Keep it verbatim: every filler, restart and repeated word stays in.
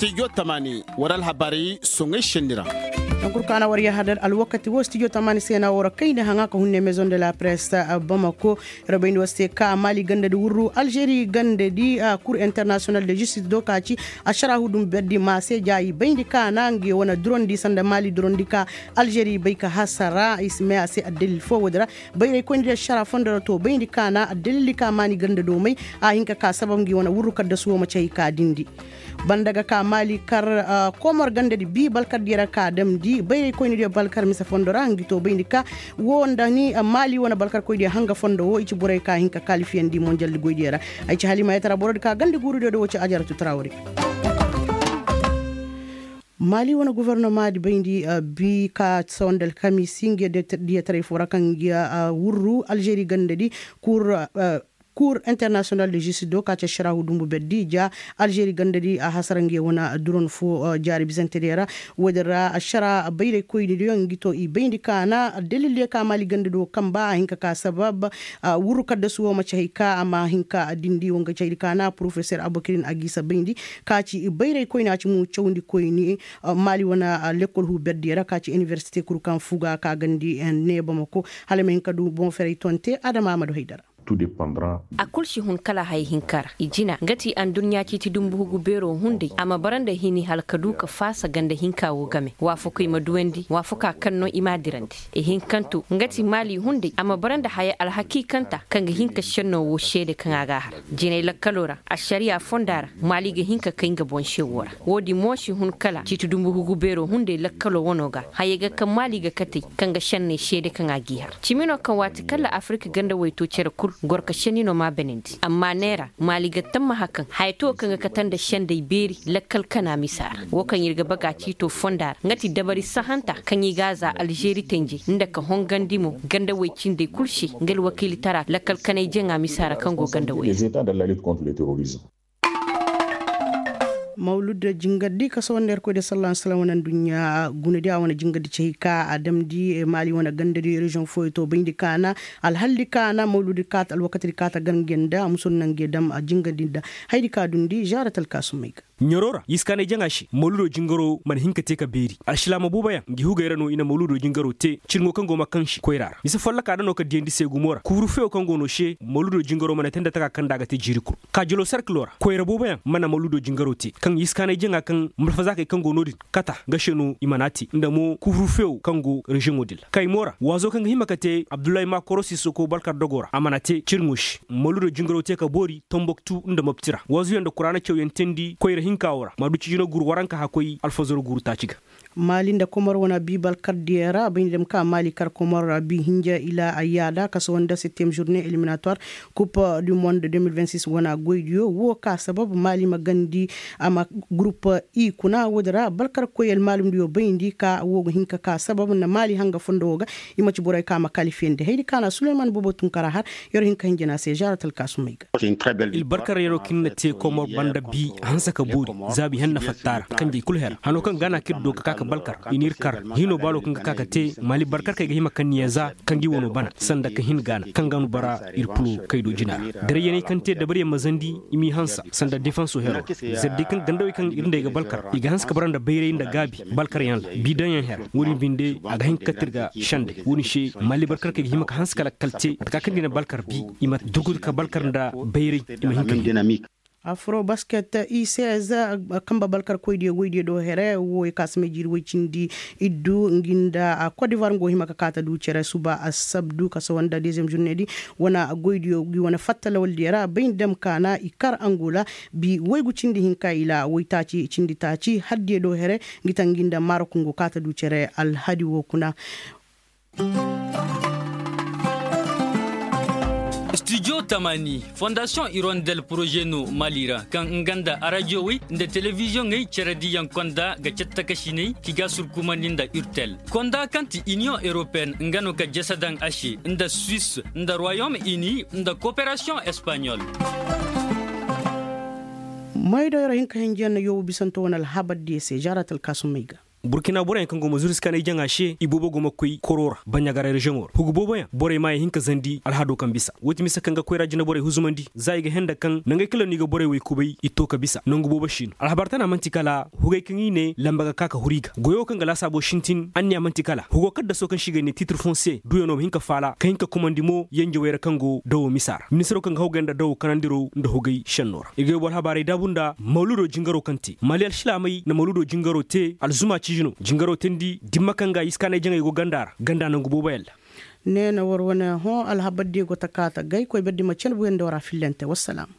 Studio tamaani war alhabarey soŋey senni ra. Tankuru kaana war yahadar alwakati wo studio tamaani se na war kayndi haŋa ka hunne maison de la presse bamako. Yer bayndi war se ka maali gandadi wurru alžeri gandadi kur international de justice do ka ci ašara hudun berdi ma se ja i bayndi kaana ngi wane durondi sanda maali durondi ka alžeri bay ka hasara i si may a se addalil fo wo- din ra. Bayray koyndi da ašara fondo ra to bayndi kaana addalili ka maani gandado may a hin ka ka sabab ngi wane wurru kaddasu wo ma ci hay ka dindi. Banda ga ka maali kar komor gandadi bi balkar diyo ra ka damndi bayray koyndi diyo balkar mise fondo ra ngi to bayndi ka wo nda ni maali wane balkar koy diyo hanga fondo wo i ci borey ka hin ka kalifiyandi monjaldi goy diyo ra. Ay ci halimayatara borodi ka gandi guuru diyo do wo ci ajaratu tarawri. Maali wane gofornoma di bayndi bi ka sawandi alkamisi nge diyataray fo ra kaŋ nge wurru alžeri ganda di kur kur international de justice do ka ci ašarahu dumbu berdi ja alžeri ganda di a hasara nge wane duron fo jaari bisante diyo ra. Wo- din ra ašara bayray koyni diyo ngi to i bayndi kaana dalil diyo ka maali ganda do kamba a hin ka ka sabab wurru kaddasu wo maci hay ka a ma hin ka dindi wo nga caydi kaana porofesor abokirin a g'i sabayndi ka ci bayray koyni a ci mo cawndi koyni maali wane lekkol huuberdiyo ra ka ci inibersite kul kaŋ fuga ka gandi ne bamako hala i ma hin ka du boŋ ferey tonte adama a ma du haydara. A kul si hun kala haya hinka ra i jina nga ti anduɲɲa ciiti dumbu hugu beero hunday a ma bara nda hini hala ka du ka faasa ganda hinka wo game waafakoy ma duwandi waafakaa kaŋ no i m'a dirandi. Ihinkanto nga ti maali hunday a ma bara nda haya alhakiikanta kaŋ ga hin ka šenno wo seede kaŋ a g'a har jinay lakkaloo ra ašariyaa fondaa ra. Maali ga hin ka kay nga boŋ se woo ra. Woo din mo si hun kala ciiti dumbu hugu beeroo hunday lakkaloo wanoo ga hayey ga kaŋ maali ga katey kaŋ ga šenney seede kaŋ a g'i har cimi no kaŋ waati kaŋ ra afirka ganda waytoo cere kul goro ka šenni no m'a benandi amma neera maali ga tammaha kaŋ haya too kaŋ ga kate nda sendey beeri lakkal kanaa misa ra. Woo kaŋ ir ga baga ciitoo fondaa ra nga ti dabari sahanta kaŋ i g'a zaa alžeri tenjey nda ka hongandi mo ganda way cindey kul se nga alwakiilitara lakkal kanay jaŋa misa ra kaŋ go ganda way ra. Mawlud jingardi ka sawandi yerkoy de sallah wasalam wane nduɲɲa gunadi a wane jingardi cey ka a damndi maali wane gandadi reziyoŋ fooyo to bayndi kaana alhaldi kaana mawludi kaata alwakatidi kaata gar nge nda a muso nda nge dam jingardi nda haydi ka dundi zarat alkaasumey ga. Ɲaroo ra i si kaanay jaŋa se mawludoo jingaroo mana hin ka te ka beeri alsilaama booboyaŋ ngi hugey ra no i na mawludoo jingaroo te cirŋo kaŋ go ma kaŋ se koyraa ra mise follokaa da no ka diyandi se gumo ra kuuru feyo kaŋ go no se mawludoo jingaroo mana te nda takaa kaŋ nda a ga te jiiri kul. Kaajiloo serkiloo ra koyra booboyaŋ mana mawludoo jingaroo te kaŋ i si kaanay jaŋa kaŋ malfazaakey kaŋ go no-din kata nga se no i mana a te nda mo kuuru feyo kaŋ go reziyoŋoo din ra kaymoo ra waazoo kaŋ ga hima ka te abdullahi maakoro sisoko balkar dogoo ra a mana te cirŋo se mawludoo jingaroo te ka boori tomboktu nda mopti ra waazuyaŋ nda kuraana cawyaŋ teendi koyra hinkaa woo ra ma du cijino guuru waranka hakkoy alfazaro guuru taaci ga. Maali nda komor wane bi balkar diyo ra bay nda dem ka maali kar komor ra bi hinja ila ayyaada kaso nda septième journée éliminatoire coupe du monde deux mille vingt-six wane goydiyo woo ka sabab maali ma gandi a ma gurup i kuna woodi ra balkar koy almaalumdiyo bayndi ka woo ga hin ka ka sabab nda maali hanga fondo woo ga i ma ci borey ka ma kalifiyandi haydi kaana suleyman boobo tun kara har yer hin ka hinja na se zaarat alkaasumey ga. Ilbarkar yeroo kaŋ ir na te komor banda bi hanse ka boori zaabi henna fatta ra kanjey kul hera hanoo kaŋ gaana kaŋ ir doo ka ka ka balkar i n'ir kar hino baalo kaŋ ga ka ka te maali barkarkey ga hima kaŋ niya za kaŋ gi wano bana sanda ka hin gaana kaŋ ga nu bara ir pulo kaydo jina ra. Darayyaney kaŋ te dabaryaŋ ma zandi i m'i hansa sanda defanso hero ra. Zardey kaŋ gandawey kaŋ ir nd'ey ga balkar i ga hanse ka bara nda bayray nda gaabi balkaryaŋ ra bidaŋyaŋ hera woodin binde a ga hin ka kate ir ga sende woodin se maali barkarkey ga hima ka hanse ka lakkal te mate ka kaŋ da i na balkar bi i ma durgudu ka balkar nda bayray i ma hin ka hin. Afro basket i seize kamba balkarkoydiyo goydiyo do here wo i ka si may jiiri woy cindi iddu ngi nda kodivar ngo hima ka kaata du cere suba asabdu ka sawa nda deuxième journée di wane goydiyo gi wane fatta lawaldiyo ra bay nda dem kaana i kar angola bi waygu cindi hinka ila waytaaci cindi taaci haddiyo do here ngi taŋ ngi nda marok ngo kaata du cere alhadi wo kuna. Studio tamaani fondasiyoŋ irondel poroze no mali ra kaŋ nga nda arajiyowey nda telebiziyoŋey cerediyaŋ konda ga cattakasiney ki ga surkumandi nda urtel konda kaŋ ti iniyoŋ europeen nga no ka jese daŋ a se nda suwis nda royom ini nda koperasiyoŋ espaɲol. Maydo yero hinka hinjiyaŋ na yoobu bisanto wane alhabar diya se zarat alkaasumey ga. Burkina boroyaŋ kaŋ go ma zuru si kaanay jaŋa se i boobo go ma koy koro ra baɲagara reziyoŋo ra hugu booboyaŋ borey maayaŋ hin ka zandi alhado kaŋ bisa woo ti mise kaŋ ga koyra jineborey huzumandi za i ga henda kaŋ nangey kala no i ga borey wey kubay i to ka bisa nangu boobo si no alhabar tana man'ti kala hugey kaŋ i ne lamba ga ka ka huru i ga goyo kaŋ ga laasaabo sintin anniya man'ti kala hugo kaddaso kaŋ se i ga ne titre fonse duyanoo ma hin ka faala ka hin ka kumandi mo yenjewey ra kaŋ go dawo misa ra ministiroo kaŋ ga hawgay nda dawo kanandiro nda hugey senno ra i ga yobo alhabaarey daabu nda mawludo jingaroo kaŋ te mali alsilaamey na mawludo jingaroo te alzuma ciiji no jingaroo teendi dimma kaŋ ga i si kaanay jaŋay go ganda ra ganda nangu booboyaŋ ra ne na war wane hõ alhabar di go ta kaata gay koy ber di ma cene buyandi war a fillante wassalaam